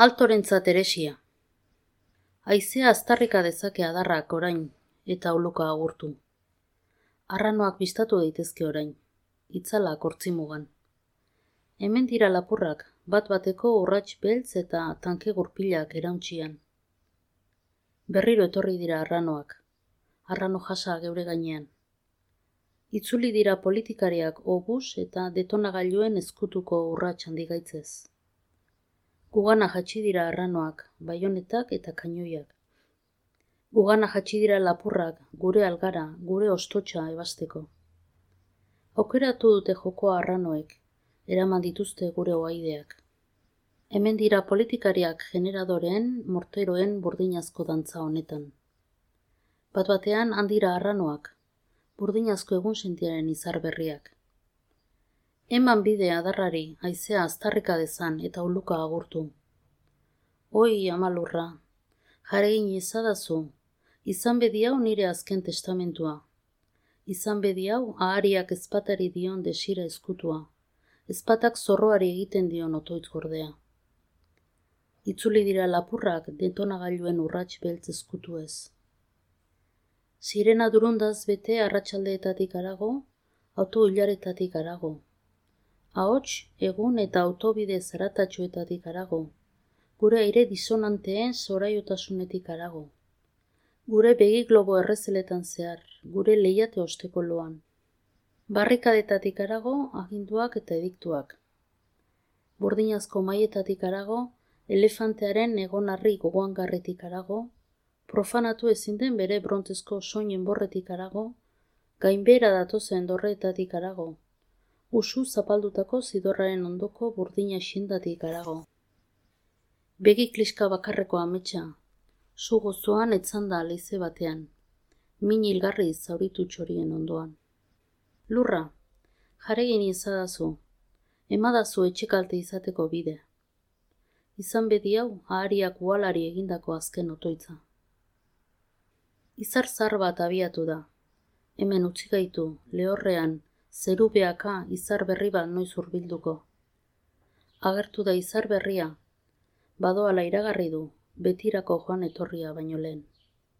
Altorentzat eresia. Haizea aztarrika dezake adarrak orain, eta oluka agurtu. Arranoak bistatu daitezke orain, itzalak hortzimugan. Hemen dira lapurrak, bat-bateko urrats beltz eta tanke gurpilak erauntxian. Berriro etorri dira arranoak, arrano jasa geure gainean. Itzuli dira politikariak obus eta detonagailuen ezkutuko urrats handigaitzez. Gugana jatsi dira arranoak, baionetak eta kainoiak. Gugana jatsi dira lapurrak, gure algara, gure ostotxa ebasteko. Aukeratu dute jokoa arranoek, eraman dituzte gure oaideak. Hemen dira politikariak generadoren, morteroen burdinazko dantza honetan. Bat-batean handira arranoak, burdinazko egun sentiaren izar berriak. Eman bide adarrari, haizea aztarrika dezan eta uluka agurtu. Oi, amalurra, jaregin ezadazu, izan bedi hau nire azken testamentua. Izan bedi hau ahariak ezpatari dion desira ezkutua, ezpatak zorroari egiten dion otoitz gordea. Itzuli dira lapurrak detonagailuen urrats beltz ezkutu ez. Sirena durundaz bete arratsaldeetatik harago, auto hilaretatik harago. Ahots, egun eta autobide zaratatxoetatik harago, gure aire disonanteen zoraitasunetik harago, gure begiglobo errezeletan zehar, gure lehiate osteko loan. Barrikadetatik harago, aginduak eta ediktuak. Burdinazko maietatik harago, elefantearen egonarri gogoangarretik harago, profanatu ezin den bere brontezko soinen borretik harago, gainbehera datozen dorreetatik harago, usu zapaldutako zidorraren ondoko burdina xindatik harago. Begi kliska bakarreko ametsa, zu gozoan etzanda leize batean, min hilgarri zauritu txorien ondoan. Lurra, jaregin ezadazu, emadazu etxekalte izateko bide. Izan bedi hau ahariak uhalari egindako azken otoitza. Izar zar bat abiatu da, hemen utzi gaitu, lehorrean, zerubeaka izar berri bat noiz hurbilduko. Agertu da izar berria, badoala iragarri du, betirako joan etorria baino lehen.